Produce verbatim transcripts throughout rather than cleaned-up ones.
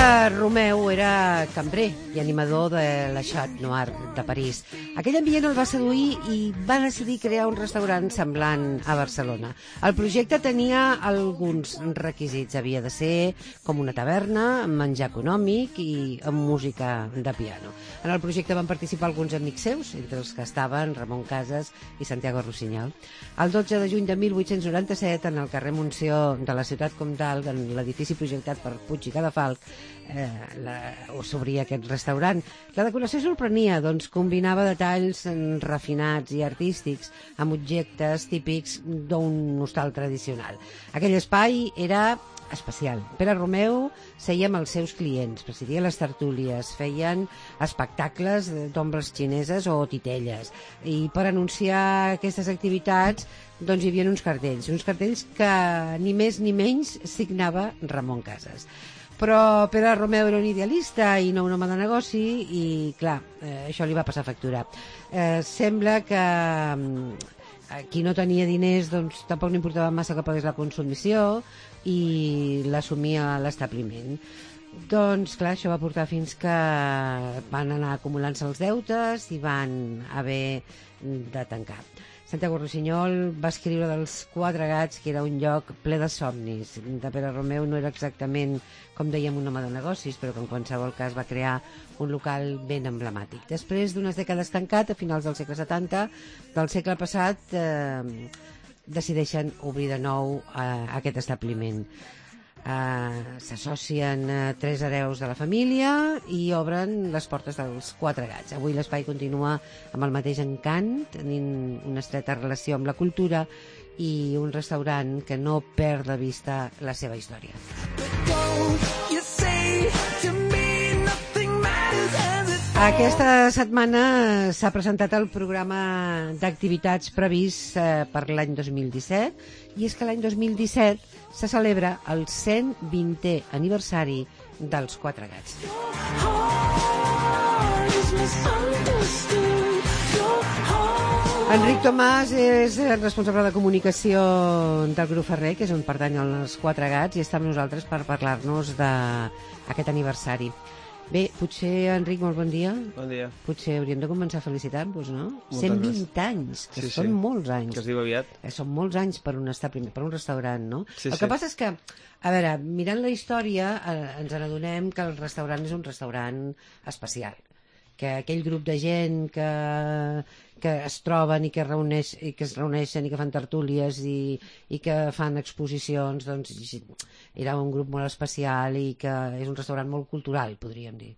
Pere Romeu era cambrer i animador de la Chat Noir de París. Aquell ambient el va seduir i va decidir crear un restaurant semblant a Barcelona. El projecte tenia alguns requisits. Havia de ser com una taverna, amb menjar econòmic i amb música de piano. En el projecte van participar alguns amics seus, entre els que estaven Ramon Casas i Santiago Rossinyol. El dotze de juny de mil vuit-cents noranta-set, en el carrer Montsió de la ciutat comtal, en l'edifici projectat per Puig i Cadafalch, eh, la, s'obria aquest restaurant. La decoració sorprenia, doncs combinava detalls refinats i artístics amb objectes típics d'un hostal tradicional. Aquell espai era especial. Pere Romeu seia amb els seus clients, presidia les tertúlies, feien espectacles d'ombres xineses o titelles, i per anunciar aquestes activitats doncs hi havia uns cartells, uns cartells que ni més ni menys signava Ramon Casas. Però Pere Romeu era un idealista i no un home de negoci i, clar, eh, això li va passar factura. Eh, sembla que eh, qui no tenia diners doncs tampoc no importava massa que pagués la consumició i l'assumia l'establiment. Doncs, clar, això va portar fins que van anar acumulant-se els deutes i van haver de tancar. Santiago Rossinyol va escriure dels Quatre Gats, que era un lloc ple de somnis. De Pere Romeu no era exactament, com dèiem, un home de negocis, però que en qualsevol cas va crear un local ben emblemàtic. Després d'unes dècades tancat, a finals del segle setanta, del segle passat, eh, decideixen obrir de nou eh, aquest establiment. Uh, s'associen uh, tres hereus de la família i obren les portes dels Quatre Gats. Avui l'espai continua amb el mateix encant, tenint una estreta relació amb la cultura i un restaurant que no perd de vista la seva història. Aquesta setmana s'ha presentat el programa d'activitats previst eh, per l'any dos mil disset, i és que l'any dos mil disset se celebra el cent vintè aniversari dels Quatre Gats. Enric Tomàs és el responsable de comunicació del Grup Ferrer, que és on pertany els Quatre Gats, i està amb nosaltres per parlar-nos d'aquest aniversari. Bé, potser, Enric, molt bon dia. Bon dia. Potser hauríem de començar a felicitar-vos, no? Moltes cent vint anys, que sí, són sí. molts anys. Que es diu aviat. Que són molts anys per un establiment, per un restaurant, no? Sí, el sí. que passa és que, a veure, mirant la història, eh, ens n'adonem que el restaurant és un restaurant especial. Que aquell grup de gent que, que es troben i que, reuneix, i que es reuneixen i que fan tertúlies i, i que fan exposicions, doncs era un grup molt especial i que és un restaurant molt cultural, podríem dir.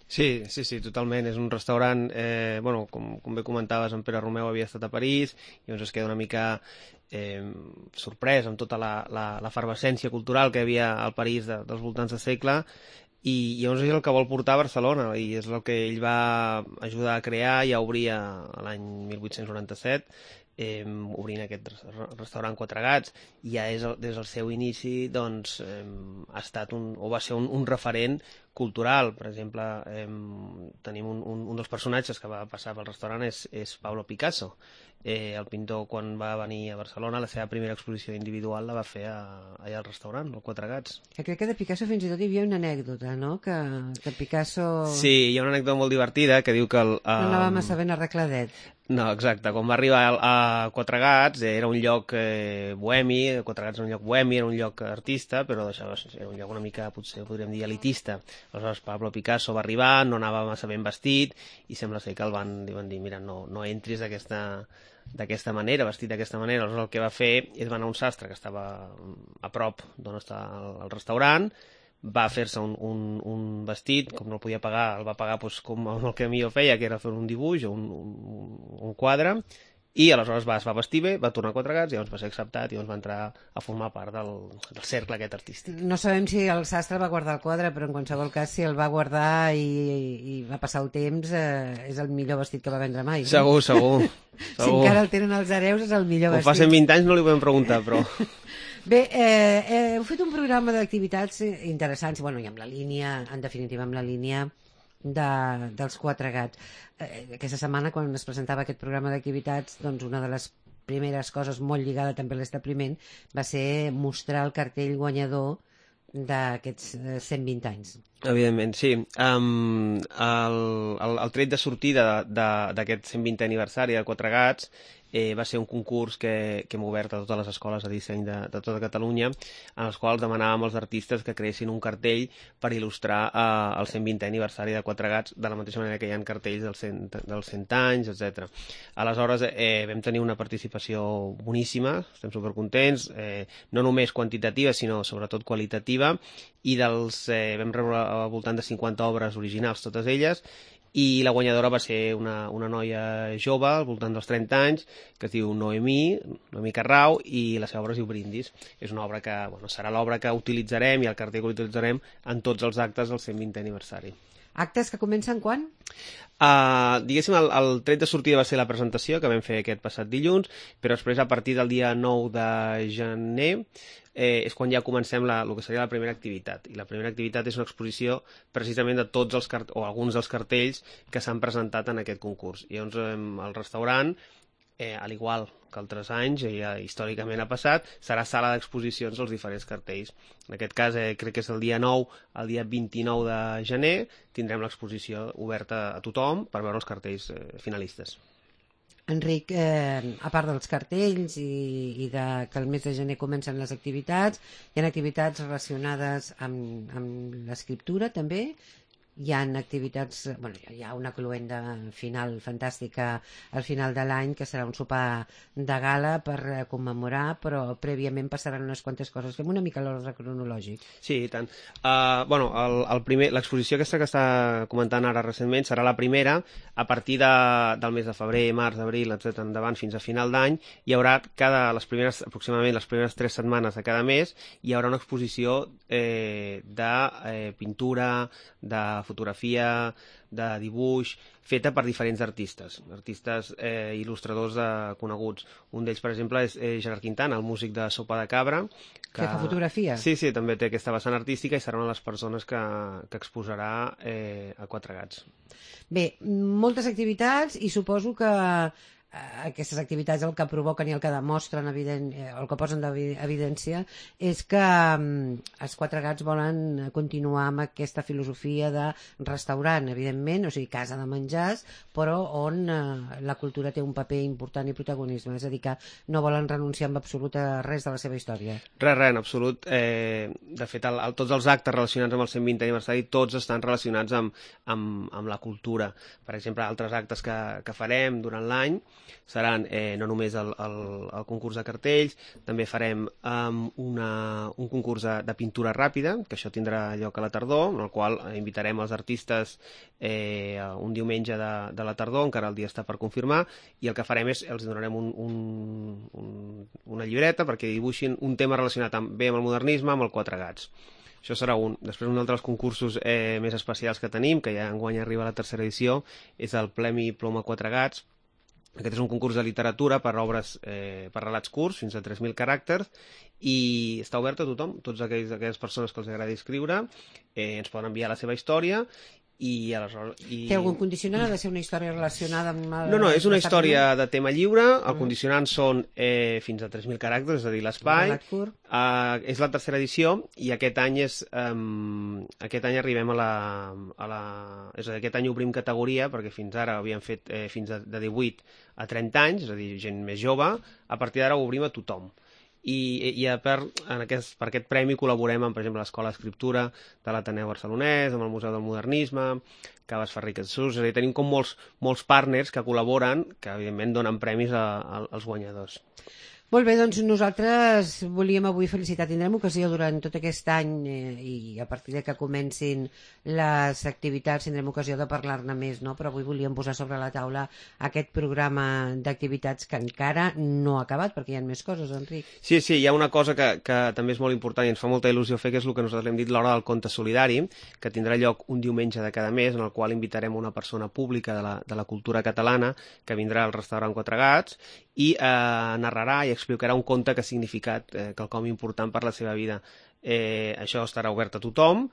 Sí, sí, sí, totalment. És un restaurant, eh, bueno, com, com bé comentaves, en Pere Romeu havia estat a París i llavors es queda una mica eh, sorprès amb tota la, la, l'efervescència cultural que hi havia al París de, dels voltants de segle, i llavors és el que vol portar a Barcelona i és el que ell va ajudar a crear i a obrir l'any mil vuit-cents noranta-set, eh, obrint aquest restaurant Quatre Gats, i ja és el, des del seu inici doncs, eh, ha estat un, o va ser un, un referent cultural. Per exemple, eh, tenim un, un, un dels personatges que va passar pel restaurant és, és Pablo Picasso. Eh, el pintor, quan va venir a Barcelona, la seva primera exposició individual la va fer a, allà al restaurant, al Quatre Gats. Que crec que de Picasso fins i tot hi havia una anècdota, no? Que, que Picasso... Sí, hi ha una anècdota molt divertida que diu que... El, um... no anava massa ben arregladet. No, exacte. Quan va arribar a, a Quatre Gats, era un lloc eh, bohemi, Quatre Gats era un lloc bohemi, era un lloc artista, però això era un lloc una mica, potser podríem dir, elitista. Aleshores Pablo Picasso va arribar, no anava massa ben vestit, i sembla ser que el van, van dir, mira, no, no entris d'aquesta d'aquesta manera, vestit d'aquesta manera. Aleshores el que va fer és va anar a un sastre que estava a prop d'on està el, el restaurant, va fer-se un, un, un vestit, com no el podia pagar, el va pagar doncs, com el que millor feia, que era fer un dibuix o un, un, un quadre, i aleshores va, es va vestir bé, va tornar a Quatre Gats i llavors va ser acceptat i llavors va entrar a formar part del, del cercle aquest artístic. No sabem si el sastre va guardar el quadre, però en qualsevol cas, si el va guardar i, i va passar el temps, eh, és el millor vestit que va vendre mai. No? Segur, segur. Si encara el tenen els hereus, és el millor vestit. vestit. Ho fa cent vint anys no li podem preguntar, però... Bé, eh, eh, heu fet un programa d'activitats interessants, bueno, i amb la línia, en definitiva, amb la línia de, dels Quatre Gats. Eh, aquesta setmana, quan es presentava aquest programa d'activitats, doncs una de les primeres coses molt lligada també a l'establiment va ser mostrar el cartell guanyador d'aquests eh, cent vint anys. Evidentment, sí. Um, el, el, el tret de sortida d'aquest cent vintè aniversari de Quatre Gats eh, va ser un concurs que, que hem obert a totes les escoles de disseny de, de tota Catalunya, en els quals demanàvem als artistes que creessin un cartell per il·lustrar eh, el cent vintè aniversari de Quatre Gats, de la mateixa manera que hi ha cartells dels cent, dels cent anys, etcètera. Aleshores, eh, vam tenir una participació boníssima, estem supercontents, eh, no només quantitativa, sinó sobretot qualitativa, i dels, eh, vam rebre al voltant de cinquanta obres originals, totes elles, i la guanyadora va ser una, una noia jove, al voltant dels trenta anys, que es diu Noemí, Noemí Carrau, i la seva obra es diu Brindis. És una obra que, bueno, serà l'obra que utilitzarem i el cartell que utilitzarem en tots els actes del cent vintè aniversari. Actes que comencen quan? Uh, diguéssim, el, el tret de sortida va ser la presentació que vam fer aquest passat dilluns, però després, a partir del dia nou de gener, eh, és quan ja comencem la, el que seria la primera activitat. I la primera activitat és una exposició precisament de tots els cart o alguns dels cartells que s'han presentat en aquest concurs. I llavors, eh, el restaurant, eh, al igual que altres anys, ja històricament ha passat, serà sala d'exposicions dels diferents cartells. En aquest cas, eh, crec que és el dia nou, el dia vint-i-nou de gener, tindrem l'exposició oberta a tothom per veure els cartells eh, finalistes. Enric, eh, a part dels cartells i, i de, que el mes de gener comencen les activitats, hi ha activitats relacionades amb, amb l'escriptura també? Hi ha activitats, bueno, hi ha una cluenda final fantàstica al final de l'any, que serà un sopar de gala per commemorar, però prèviament passaran unes quantes coses. Fem una mica l'ordre cronològic. Sí, i tant. Uh, bueno, el, el primer, l'exposició aquesta que està comentant ara recentment serà la primera. A partir de, del mes de febrer, març, abril, etcètera endavant, fins a final d'any, hi haurà cada, les primeres, aproximadament les primeres tres setmanes de cada mes, hi haurà una exposició eh, de eh, pintura, de fotografia, de dibuix, feta per diferents artistes, artistes eh, il·lustradors eh, coneguts. Un d'ells, per exemple, és eh, Gerard Quintana, el músic de Sopa de Cabra. Que fa fotografia? Sí, sí, també té aquesta vessant artística i serà una de les persones que, que exposarà eh, a Quatre Gats. Bé, moltes activitats i suposo que aquestes activitats el que provoquen i el que demostren, evident, el que posen d'evidència és que um, els Quatre Gats volen continuar amb aquesta filosofia de restaurant, evidentment, o sigui, casa de menjars, però on uh, la cultura té un paper important i protagonisme, és a dir, que no volen renunciar en absolut a res de la seva història. Res, res, en absolut. Eh, de fet, el, el, tots els actes relacionats amb el cent vintè aniversari, tots estan relacionats amb, amb, amb la cultura. Per exemple, altres actes que, que farem durant l'any seran eh, no només el, el, el concurs de cartells, també farem um, una, un concurs de, de pintura ràpida, que això tindrà lloc a la tardor, en el qual invitarem els artistes eh, un diumenge de, de la tardor, encara el dia està per confirmar, i el que farem és, els donarem un, un, un, una llibreta perquè dibuixin un tema relacionat amb, bé amb el modernisme, amb el Quatre Gats. Això serà un. Després, un altre dels concursos eh, més especials que tenim, que ja enguany arriba a la tercera edició, és el Premi Ploma Quatre Gats. Aquest és un concurs de literatura per obres, eh, per relats curts, fins a tres mil caràcters, i està obert a tothom, tots aquells, aquelles persones que els agradi escriure, eh, ens poden enviar la seva història, i aleshores... I... Té algun condicionant? Ha de ser una història relacionada amb... El... No, no, és una història de tema lliure, el mm. condicionant són eh, fins a tres mil caràcters, és a dir, l'espai. Uh, és la tercera edició, i aquest any és um, aquest any arribem a la, a la... És a dir, aquest any obrim categoria, perquè fins ara havíem fet eh, fins a, de divuit a trenta anys, és a dir, gent més jove, a partir d'ara ho obrim a tothom. I, i per, en aquest, per aquest premi col·laborem amb, per exemple, l'Escola d'Escriptura de l'Ateneu Barcelonès, amb el Museu del Modernisme, Caves Ferriques Sus, és a dir, tenim com molts, molts partners que col·laboren, que evidentment donen premis a, a, als guanyadors. Molt bé, doncs nosaltres volíem avui felicitar. Tindrem ocasió durant tot aquest any eh, i a partir de que comencin les activitats tindrem ocasió de parlar-ne més, no? Però avui volíem posar sobre la taula aquest programa d'activitats que encara no ha acabat, perquè hi ha més coses, Enric. Sí, sí, hi ha una cosa que, que també és molt important i ens fa molta il·lusió fer, que és el que nosaltres hem dit l'hora del conte solidari, que tindrà lloc un diumenge de cada mes, en el qual invitarem una persona pública de la, de la cultura catalana que vindrà al restaurant Quatre Gats i eh, narrarà i explicarà un conte que ha significat eh, quelcom important per la seva vida. Eh, això estarà obert a tothom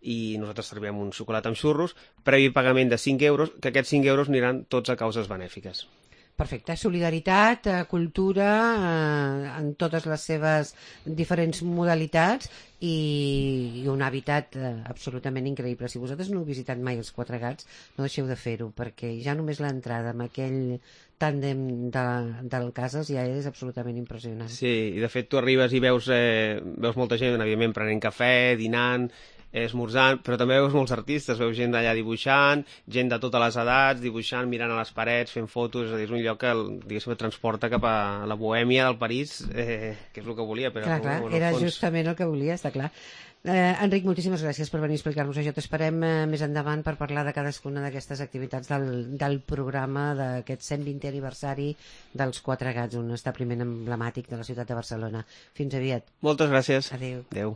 i nosaltres servirem un xocolat amb xurros, previ pagament de cinc euros, que aquests cinc euros aniran tots a causes benèfiques. Perfecte. Solidaritat, cultura, eh, en totes les seves diferents modalitats i, i un hàbitat eh, absolutament increïble. Si vosaltres no heu visitat mai els Quatre Gats, no deixeu de fer-ho, perquè ja només l'entrada amb aquell tàndem de, del Cases ja és absolutament impressionant. Sí, i de fet tu arribes i veus, eh, veus molta gent, evidentment, prenent cafè, dinant, esmorzant, però també veus molts artistes, veus gent allà dibuixant, gent de totes les edats, dibuixant, mirant a les parets, fent fotos, és a dir, és un lloc que, diguéssim, et transporta cap a la bohèmia del París, eh, que és el que volia. Però, clar, clar, era fons... justament el que volia, està clar. Eh, Enric, moltíssimes gràcies per venir a explicar-nos això. T'esperem eh, més endavant per parlar de cadascuna d'aquestes activitats del, del programa d'aquest cent vintè aniversari dels Quatre Gats, un establiment emblemàtic de la ciutat de Barcelona. Fins aviat. Moltes gràcies. Adéu. Adéu.